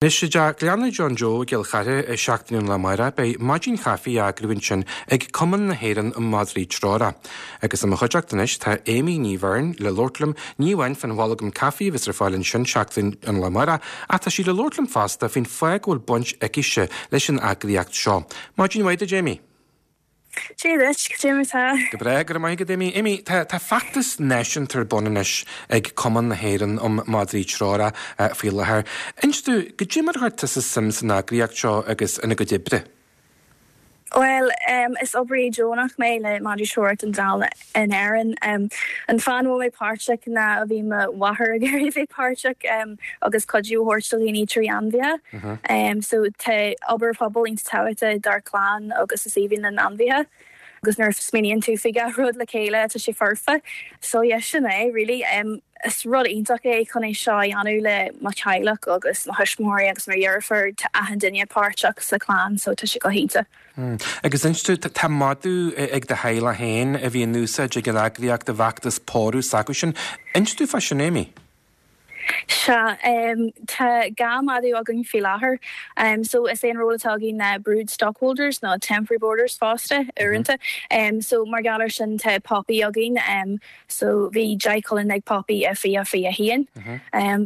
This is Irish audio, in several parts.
Anois i dTeach Gleanna John Joe i gCill Chartha i seachtain ón lá amárach beidh maidin chaife á eagrú ansin ag Cumann na hÉireann um Madraí Treorach. Agus i mo chuideachta anois tá Amy Ní Bheirn le labhairt liom ní amháin fán bholgam caife a bheas ar fáil ansin seachtain ón lá amárach ach tá sí le labhairt liom fosta faoin fáth go bhfuil baint aicise leis an eagraíocht seo. Maidin mhaith duit Amy. Dia duit, cad é mar tá? Go breá, go raibh maith agat Amy. Amy, tá tá feachtas náisiúnta ar bun anois ag Cumann na hÉireann um Madraí Treorach faoi láthair. Inis domh, cad é mar a chuir tusa suim san eagraíocht seo agus ina gcuid oibre? Bhuel, is oibrí deonach mé le Madraí Treorach don Dall in Éirinn. An fáth a bhfuil mé páirteach ná bhí mo mháthair ag iarraidh bheith páirteach agus cuidiú a thabhairt do dhaoine trí ainmhithe. So tá obair phobail iontach tábhachtach dár clann agus is aoibhinn linn ainmhithe agus nuair a smaoiníonn tú faoi gach rud le chéile tá sé foirfe. So yeah sin é really. Is rud iontach é chun é seo a dhéanamh le mo theaghlach agus mo thuismitheoirí agus mo dheirfiúr, tá achan duine páirteach sa chlann so tá sé go hiontach. Agus inis domh, tá madadh ag do theaghlach féin a bhí in úsáid ag an eagraíocht i bhfeachtas pórú s'acusan. Inis domh fá sin, Amy. Sea, tá 2 madadh againn faoi láthair. So is é an ról atá againn ná brood stockholders nó temporary boarders fosta, uaireanta. So mar gheall ar sin tá Poppy againn. So bhí 10 coileán ag Poppy i 2021.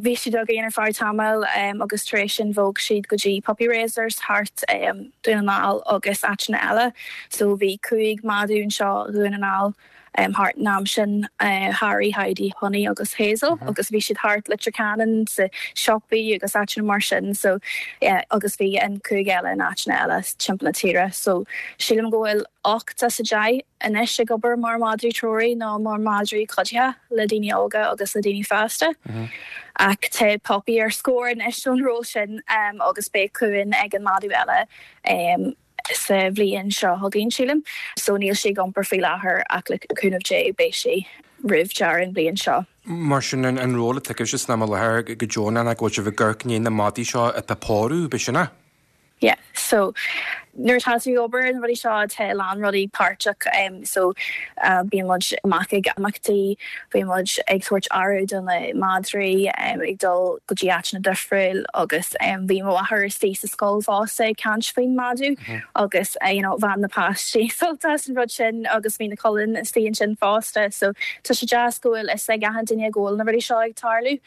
Bhí siad againn ar feadh tamaill agus tar éis sin bhog siad go dtí puppy raisers thart Dún na nGall agus áiteanna eile. So bhí 5 madadh anseo Dhún na nGall thart an am sin, Harry, Heidi, Honey agus Hazel agus bhí siad thart Leitir Ceanainn sa siopaí agus áiteanna mar sin. So yeah agus bhí an 5 eile in áiteanna eile timpeall na tíre. So sílim go bhfuil 8 as 10 anois ag obair mar madraí treoraí nó mar madraí cuidithe le daoine óga agus le daoine fásta. Ach tá Poppy ar scor anois ón ról sin agus beidh cuan ag an madadh eile sa bhliain seo chugainn, sílim. So níl sí ag iompar faoi láthair ach le cúnamh Dé beidh sí roimh deireadh an bhliain seo. Mar sin, an ról atá agaibhse san am i láthair go deonach ná go bhfuil sibh ag amharc i ndiaidh na madaí seo atá ag pórú, b'shin é? Yeah so nuair atá tú ag obair ar na rudaí seo tá a lán rudaí páirteach so bíonn muid amach ag imeachtaí, bíonn muid ag tabhairt aire do na madraí, ag dul go dtí áiteanna difriúil agus bhí mo mháthair istigh sa scoil fosta ag caint faoin madadh agus you know bhain na páistí sult as an rud sin agus bhí na coileáin istigh ansin fosta so tá sé deas go bhfuil fhios ag achan duine go bhfuil na rudaí seo ag tarlú.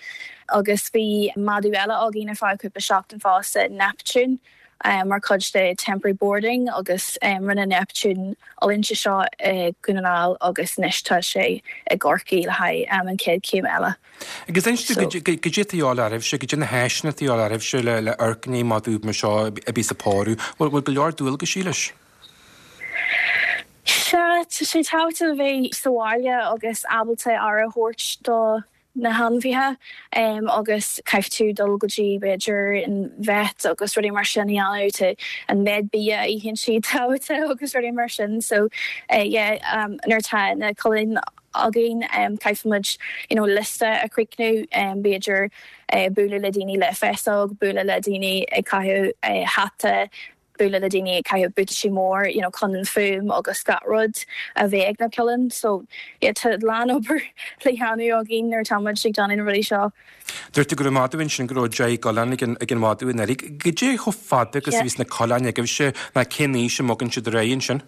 Agus bhí madadh eile againn ar feadh cúpla seachtain fosta, Neptune, mar chuid de temporary boarding agus rinne Neptune oiliúint anseo i Dhún na nGall agus anois tá sé i gCorcaigh le haghaidh an chéad chéim eile. Agus inis domh, cad é atá de dhíobháil oraibhse, cad é na háiseanna atá de dhíobháil oraibhse le amharc i ndiaidh madadh mar seo a bhíos ag pórú? Bhfuil go leor dualgaisí leis? Sea, tá sé tábhachtach a bheith sa bhaile agus ábalta aire a thabhairt do na hainmhithe agus caithfidh tú dul go dtí b'fhéidir an vet agus rudaí mar sin a dhéanamh tá an méid bia a itheann siad tábhachtach agus rudaí mar sin so yeah nuair atá na coileáin againn caithfidh muid you know liosta a chríochnú b'fhéidir bualadh le daoine le féasóg bualadh le daoine ag caitheamh hata bualadh le daoine ag caitheamh buataisí mór you know chun an fuaim agus gach rud a bheith ag na coileáin so yeah tá a lán obair le dhéanamh againn nuair atá muid ag déanamh na rudaí seo. Dúirt tú go raibh madadh ansin go raibh 10 gcoileán ag an ag an mhadadh anuraidh. Cad é chomh fada agus a Yeah. bhíos na coileáin agaibhse ná cén aois a mbogann siad ar aghaidh ansin?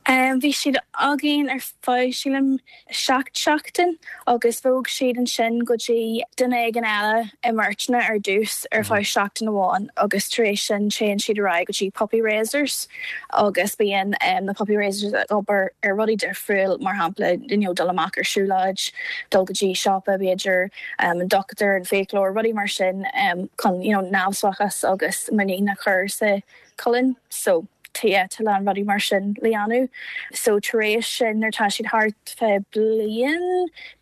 Bhí siad againn ar feadh, sílim, 7 seachtain agus bhog siad ansin go dtí duine éigin eile i mbeirteanna ar dtús ar feadh seachtain amháin agus tar éis sin téann siad ar aghaidh go dtí puppy raisers agus bíonn na puppy raisers ag obair ar rudaí difriúil mar shampla you know dul amach ar siúlóid, dul go dtí siopa b'fhéidir, an dochtúir, an fiaclóir, rudaí mar sin chun you know neamhspleáchas agus muinín a chur sa coileán so yeah tá a lán rudaí mar sin le dhéanamh so tar éis sin nuair atá siad thart fé bliain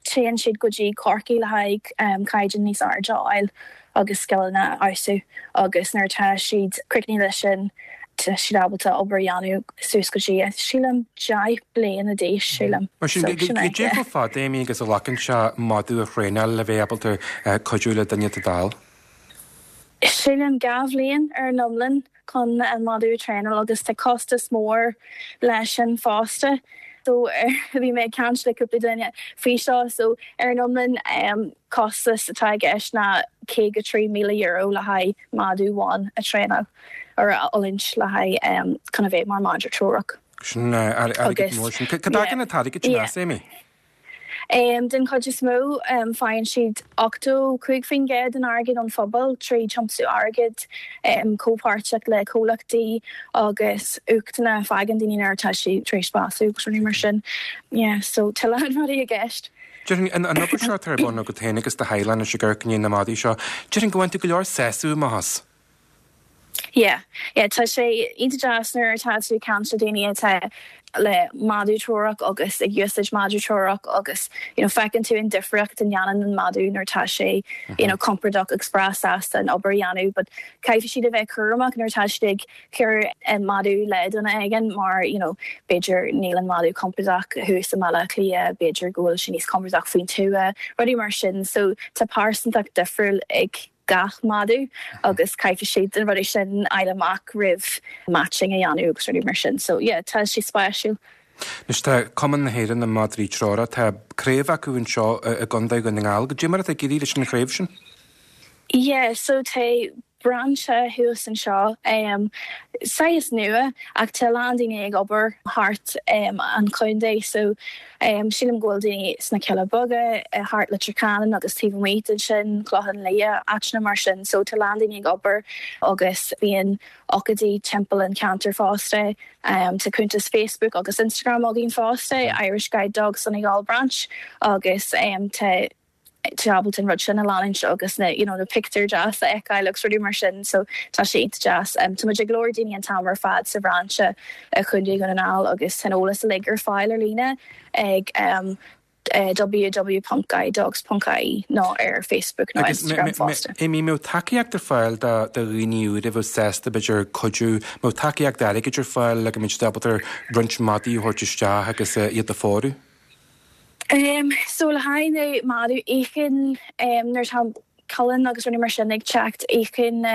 téann siad go dtí Corcaigh le haghaidh caighdeán níos airde a fháil agus scileanna a fheabhsú agus nuair atá siad críochnaithe leis sin tá siad ábalta obair a dhéanamh suas go dtí sílim 10 bliana d'aois sílim Mar sin so sin é cad é yeah. chomh fada Amy agus a ghlacann sé madadh a thraenáil le bheith ábalta cuidiú le duine atá dall? Sílim 2 bhliain ar an iomlán chun an madadh a traenáil agus tá costas mór leis sin fosta. So bhí mé ag caint le cúpla duine faoi seo so ar an iomlán costas atá i gceist ná €53,000 le haghaidh madadh amháin a traenáil or a oiliúint le haghaidh chun a bheith mar madra treorach. Sin airgead mór sin. Cá dtagann an t-airgead sin as, Amy? Den chuid is mó, faigheann siad 85% den airgead ón phobal trí tiomsú airgid, comhpháirtíocht le comhlachtaí agus uchtanna a fhaigheann daoine nuair atá siad tar éis bású agus rudaí mar sin. Yeah, so tá a lán rudaí i gceist. Déarfainn, an obair seo atá ar bun agat féin agus do theaghlach anois ag amharc i ndiaidh na madaí seo, déarfainn go bhfaigheann tú go leor sásamh amach as. Yeah, yeah, tá sé iontach deas nuair atá tú ag caint le daoine atá le madadh treorach agus ag úsáid madadh treorach agus you know feiceann tú an difríocht a ndéanann an madadh nuair atá sé you know compordach agus breá sásta an obair a dhéanamh but caithfidh siad a bheith cúramach nuair atá siad ag cur an madadh le duine éigin mar you know b'fhéidir níl an madadh compordach thuas i mBaile Átha Cliath, b'fhéidir go bhfuil sé níos compordach faoin tuath, rudaí mar sin so tá pearsantacht difriúil ag gach madadh agus caithfidh siad na rudaí sin a fháil amach roimh matching a dhéanamh agus rudaí mar sin. So yeah, tá sé spéisiúil. Anois tá Cumann na hÉireann um Madraí Treorach, tá craobh acu anseo i gContae Dhún na nGall. Goidé mar atá ag éirí leis an chraobh sin? Yeah, so tá brainse thuas anseo, saghas nua ach tá a lán daoine ag obair thart an chontae so sílim go bhfuil daoine sna Cealla Beaga, thart Leitir Ceanainn agus taobh amuigh de sin, Clochán Liath, áiteanna mar sin so tá a lán daoine ag obair agus bíonn ócáidí timpeall an cheantair fosta. Tá cuntas Facebook agus Instagram againn fosta, Irish Guide Dogs Donegal Branch agus tá tú ábalta an rud sin a leanúint agus na you know na pictiúir deas a fheiceáil agus rudaí mar sin so tá sé iontach deas. Tá muid ag lorg daoine an t-am ar fad sa bhrainse i Chontae Dhún na nGall agus tá an eolas uilig ar fáil ar líne ag www.guidedogs.ie nó ar Facebook nó Instagram fosta. Agus Amy, mbeadh tacaíocht ar fáil do dhaoine úra a bheadh sásta b'fhéidir cuidiú, mbeadh tacaíocht airgid ar fáil le go mbeadh siad ábalta roinnt madaí a thabhairt isteach agus iad a phórú? So le haghaidh na madadh íocann nuair atá colainn agus rudaí mar sin ag teacht íocann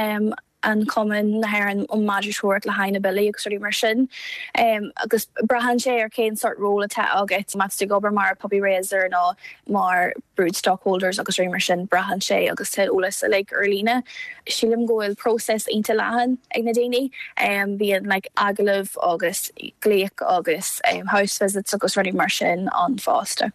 an Cumann na hÉireann um Madra Treorach le haghaidh na billí agus rudaí mar sin. Agus braitheann sé ar cén sort ról atá agat, má tá tú ag obair mar puppy raiser nó mar brood stockholders agus rudaí mar sin, braitheann sé agus tá eolas uilig ar líne. Sílim go bhfuil próiseas iontach leathan ag na daoine. Bíonn like agallamh agus glaoch agus house visits agus rudaí mar sin ann fosta.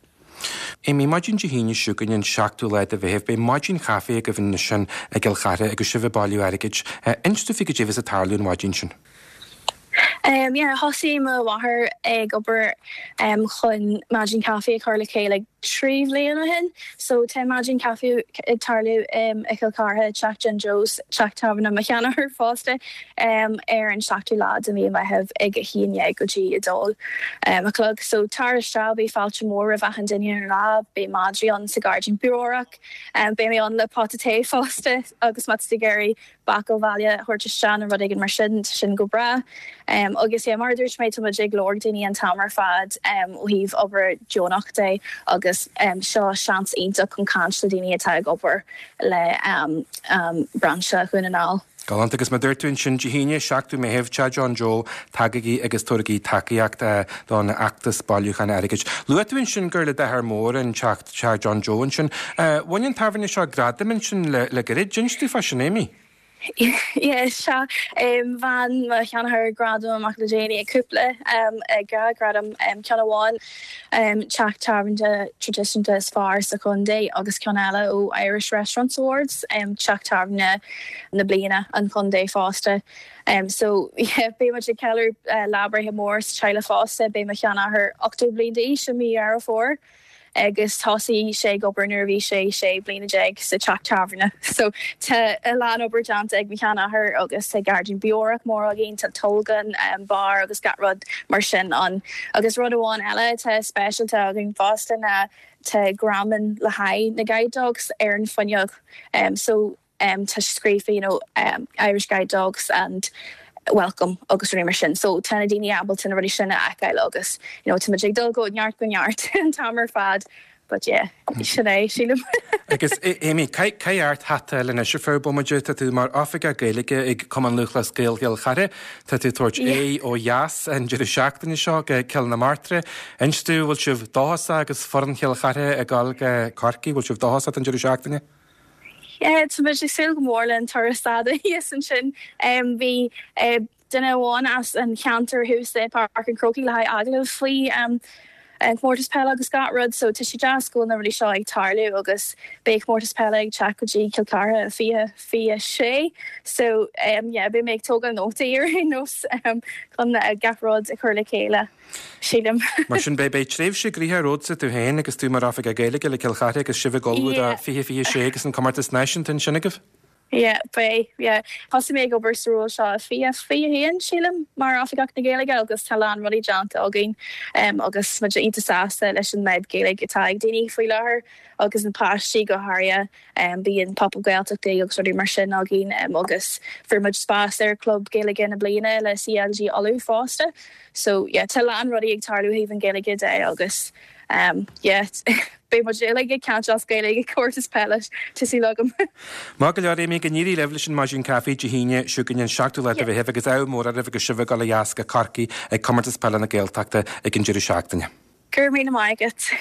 Amy, Maidin Dé hAoine seo chugainn an seachtú lá de Mheitheamh, beidh maidin chaife agaibh ansin i gCill Chartha agus sibh ag bailiú airgid. Inis dúinn faoi goidé a bheas ag tarlú an mhaidin sin. Yeah, thosaigh mo mháthair ag obair chun maidin chaife a chur le chéile 3 bhliain ó shin. So tá maidin chaife ag tarlú i Chill Chartha, Teach John Joe's, teach tábhairne mo sheanathair fosta, ar an seachtú lá de mhí Meitheamh ag 11 go dtí 2 a chlog. So tar isteach, beidh fáilte mór roimh achan duine ar an lá, beidh madraí ann sa gairdín beorach, beidh mé ann le pota tae fosta agus má tá tú ag iarraidh bácáil bhaile a thabhairt isteach nó rud éigin mar sin, tá sin go breá. Agus yeah, mar a dúirt mé, tá muid ag lorg daoine an t-am ar fad ó thaobh obair deonach de agus seo seans iontach chun caint le daoine atá ag obair le brainse Dhún na nGall. Galánta. Agus mar a dúirt tú ansin, Dé hAoine, 7ú Meitheamh, Teach John Joe, tagaigí agus tabhairigí tacaíocht don fheachtas bailiúcháin airgid. Luaigh tú ansin gur le d'athair mór an teach, Teach John Joe ansin. Bhain an tábhairne seo gradam ansin le gairid. Inis dúinn fá sin, Amy. Yeah, sea. Bhain mo sheanathair gradam amach le déanaí, cúpla gradam, ceann amháin teach tábhairne traidisiúnta is fearr sa chontae agus ceann eile ó Irish Restaurants Awards, teach tábhairne na bliana an chontae fosta. So yeah, beidh muid ag ceiliúradh lá breithe mór sa teaghlach fosta. Beidh mo sheanathair 80 bliain d'aois i mí Dheireadh Fómhair. agus thosaigh sé ag obair nuair a bhí sé 16 bliana sa teach tábhairne. So tá a lán obair déanta ag mo sheanathair agus tá gairdín beorach mór againn, tá tolgán, beár agus gach rud mar sin ann. Agus rud amháin eile atá speisialta againn fosta ná tá greamán le haghaidh na guide dogs ar an fuinneog. So tá scríofa you know Irish Guide Dogs and welcome agus rudaí mar sin. So tá na daoine ábalta na rudaí sin a fheiceáil agus you know tá muid ag dul go neart go neart an t-am ar fad. But yeah, sin é, sílim. Agus Amy, caith ort hata eile anois ar feadh bomaite, tá tú mar Oifigeach Gaeilge ag Cumann Lúthchleas Gael Chill Chartha, tá tú ag tabhairt aghaidh ó dheas an deireadh seachtaine seo go Cill na Martra. Inis domh, bhfuil sibh dóchasach agus foireann Chill Chartha ag dul go Corcaigh, bhfuil sibh dóchasach don deireadh seachtaine? Yeah, tá muid ag súil go mór le an turas fada thíos ansin. Bhí duine amháin as an cheantar thuas i Páirc an Chrócaigh le haghaidh agallamh faoi an comórtas peile agus gach rud so tá sé deas go bhfuil na rudaí seo ag tarlú agus beidh comórtas peile ag teacht go dtí Cill Chartha i 2026 so yeah beidh mé ag tógáil nótaí ar aon nós chun gach rud a chur le chéile sílim. Mar sin beidh beidh tréimhse gnoitheach romhatsa tú féin agus tú mar Oifigeach Gaeilge le Cill Chartha agus sibh ag ullmhú do 2026 agus an comórtas náisiúnta ansin agaibh? Yeah, beidh, yeah. Thosaigh mé ag obair sa ról seo i 2021, sílim, mar Oifigeach na Gaeilge agus tá a lán rudaí déanta againn agus muid iontach sásta leis an méid Gaeilge atá ag daoine faoi láthair agus na páistí go háirithe. Bíonn Pop-Up Gaeltachtaí agus rudaí mar sin againn agus fuair muid spás ar Club Gaeilge na Bliana le CLG Uladh fosta. So, yeah, tá a lán rudaí ag tarlú ó thaobh an Ghaeilge de agus yeah, beidh muid uilig ag caint as Gaeilge ag comórtas peile, tá súil agam. Maith go leor, Amy, go n-éirí libh leis an Maidin Caife Dé hAoine seo chugainn an 7ú lá de Mheitheamh agus ádh mór oraibh agus sibh ag dul ó dheas go Corcaigh ag Comórtas Peile na Gaeltachta ag an deireadh seachtaine. Go raibh míle maith agat.